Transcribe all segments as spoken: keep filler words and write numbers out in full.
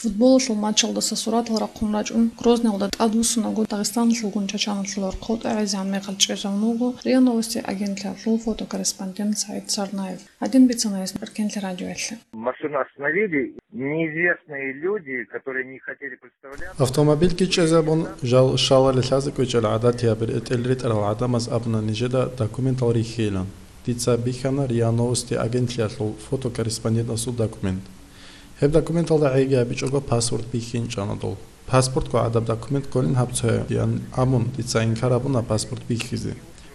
Футболалъул матчалдаса суратал рахъун рачӀун, Грозныйалда тӀадвуссунаго Дагъистаналъулгун Чачаналъул гӀорхъов тӀагӀизегӀан мехалъ чӀезавунаго РИА Новости агентлъиялъул фотокорреспондент Саид Царнаев. Гьадин бицана гьес Эркенлъи радиоялъе. Машину остановили неизвестные люди, которые не хотели представляться. Автомобильги чӀезабун, жал шалали лъазе кӀвечӀел гӀадатияб ретӀел ретӀарал гӀадамаз абуна нижеда документал рихьейилан. Дица бихьана РИА Новости агентлъиялъул фотокорреспондентасул документ. Гьеб документалда гӀеги абичӀого паспорт бихьинчӀана дол. Паспортго гӀадаб документ кколин гьаб цоян абун, дица инкар абуна паспорт бихьизе.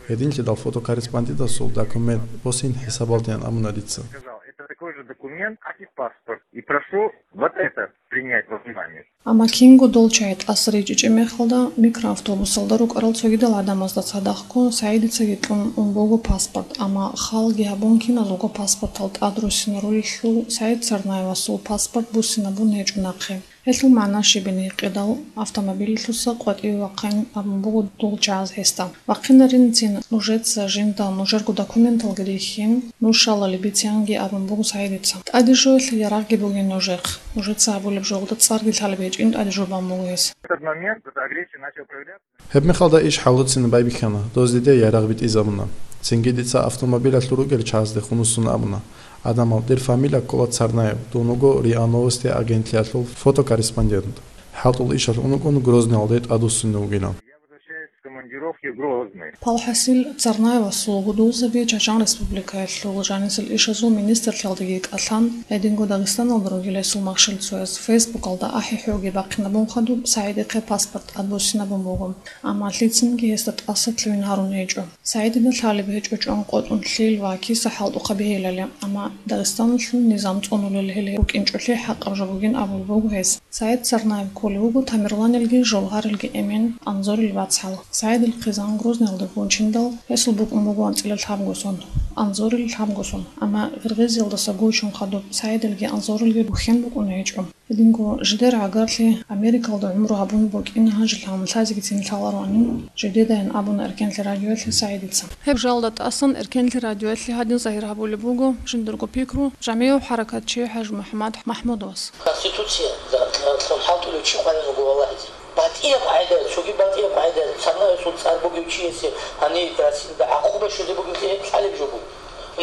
Гьединлъидал фотокорреспондентасул документ босин хӀисабалдеян абуна дица. Сказал, это такой же документ, как и паспорт. И прошу вот это принять во внимание. Амма кинго дол чагӀи тӀаса ричӀичӀеб мехалда, микроавтобусалда рукӀарал цогидал гӀадамазда цадахъго Саидицаги кьун ун буго паспорт, амма халги гьабун киназулго паспортал тӀад руссинарулелъул Саид Царнаевасул паспорт буссинабун гьечӀо нахъе. Гьелъул магӀна щибин гьикъидал, автомобилалъуса къватӀиве вахъин абун буго дол чагӀаз гьесда. Вахъинаринцин нужеца жинда нужерго документалги рихьин, нуж шалали бицианги абун буго Саидица. ТӀаде жоялъе ярагъги бугин нужехъ. Нужеца гьабулеб жолда цӀарги лъалеб гьечӀин тӀаде жо бан буго гьес. В этот момент эта агрессия начала проявляться. Гьеб мехалда иш хӀалуцин байбихьана, доз диде ярагъ битӀизабуна. Цинги дица автомобилалъур ругел чагӀаздехун вуссун абуна: «Адамал, дир фамилия ккола Царнаев, дун вуго РИА Новости агентлъиялъул фотокорреспондент. ХӀалтӀул ишалъ ун вукӀун Грозныйалде тӀадвуссине вугилан». Я возвращаюсь с командировки в Грозный. Палхасил Царнаевасул гьудулзаби Чачан Республикаялъул жанисел ишазул министрлъиялдаги кӀалъан, гьединго Дагъистаналда ругел гьесул махщел цояз Фейсбукалда ахӀи-хӀуги бахъинабун хадуб, Саидихъе паспорт тӀадбуссинабун буго. Амма лъицинги гьесда тӀаса лъугьин гьарун гьечӀо. Саидида лъалеб гьечӀо чӀван къотӀун лъил ва киса хӀалтӀухъа бегьилали, амма Дагъистаналъул низам цӀунулел гьел букӀинчӀолъи хӀакъаб жо бугин абулеб буго гьес. Саид Царнаев кколев вуго Тамерланалги Жолгьаралги эмен Анзорил вацгӀал. Саидил хъизан Грозныйалда гончиндал, гьесул букӀун буго анцӀила лъабго сон, Анзорил лъабго сон. Амма Гъиргъизиялдаса гучун хадуб Саидилги Анзорилги бухьен букӀун гьечӀо. Гьединго жидер гӀагарлъи Америкалда гӀумру гьабун букӀин гьанже лъаларгӀанин, жидедайин абуна Эркенлъи радиоялъе Саидица. Гьеб жалда тӀасан Эркенлъи радиоялъе гьадин загьир гьабулеб буго жиндирго пикру жамигӀ хӀаракатчи ХӀажимухӀаммад МахӀмудовас. Конституция лъун хӀалтӀулев чи къваригӀун вуго валагьизе. БатӀияб къагӀида, цоги батӀияб къагӀида, Царнаевасул цӀар бугев чиясе гьаниб Россиялда гӀакъуба щвезе бугеб гьеб лъалеб жо буго.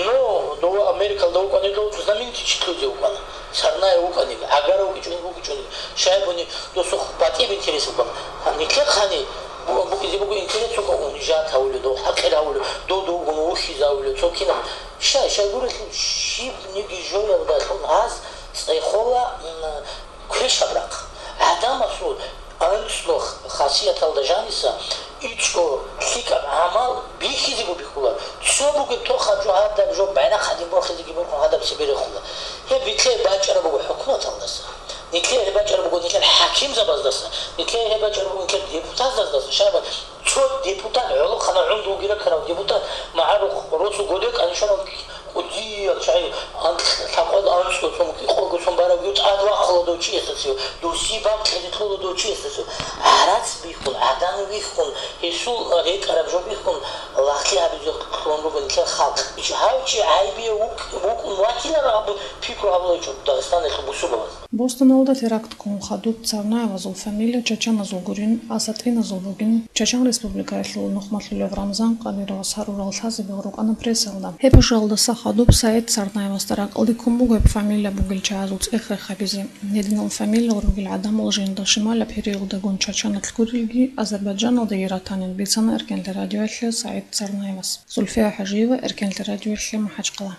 Ну, дова Америкалда вукӀанила, знаменитый чи лъузе вукӀана. Царнаев вукӀанила, гӀагара вукӀичӀони, вукӀичӀони. Щайгуни досухъ батӀияб интерес букӀана. Гьанилъехъани бу-, букӀизе буго интерес цо унижать гьавулев, дов хӀакъир гьавулев, дов довгун вухьизе гьавулев, цо кинаб. Щай, щайгурелъул щибниги жоялдалъун гьаз цӀехола, м, квешаб рахъ. ГӀадамасул анцӀго хасияталда жаниса ичӀго лъикӀаб гӀамал бихьизего бихьула. Цо бугеб тохаб жо, гьадаб жо, байрахъ гьадин борхизеги борхун гьадаб цебе рехула. Гьеб нилъее бачӀараб буго хӀукуматалдаса. Нилъее гьеб бачӀараб буго нилъер хӀакимзабаздаса. Нилъее гьеб бачӀараб буго нилъер депутатзаздаса. Щайгуни цо депутат, гӀолохъанав гӀумру вугев ракарав депутат, магӀарухъ росу годе кӀанишанав кӀудиял чагӀи, анкь-, лъабкъоялда анцӀго сон, кӀикъого сон баравги тӀад вахъула дов чиясдасев, дов сибаб кьезе кьола дов чиясдасев. ГӀарац бихьун, гӀадан вихьун, гьесул рекӀараб жо бихьун, лагълъи гьабизе кьун руго нилъер халкъ. Гьав чи гӀайибияв вукӀ-, вукӀун ватилан абун пикру гьабуларичӀо Дагъистаналъул бусурбабаз. Бостоналда теракт ккун хадуб Царнаевазул фамилия чачаназул гурин, асатӀиназул бугин, Чачан Республикаялъул нухмалъулев Рамзан Кадыровас гьарурал лъазабигъ рукӀана прессалда. Гьеб жалдаса хадуб Саид Царнаевасда ракӀалде ккун буго гьеб фамилия бугел чагӀазул цӀех рехабизе. Гьединал фамилиял ругел гӀадамал жинда шималаб периодалдагун Чачаналъ гурилги, Азербайджаналдаги ратанин бицана Эркенлъи радиоялъе Саид Царнаевас. Зульфия ХӀажиева, Эркенлъи радиоялъе, МахӀачхъала.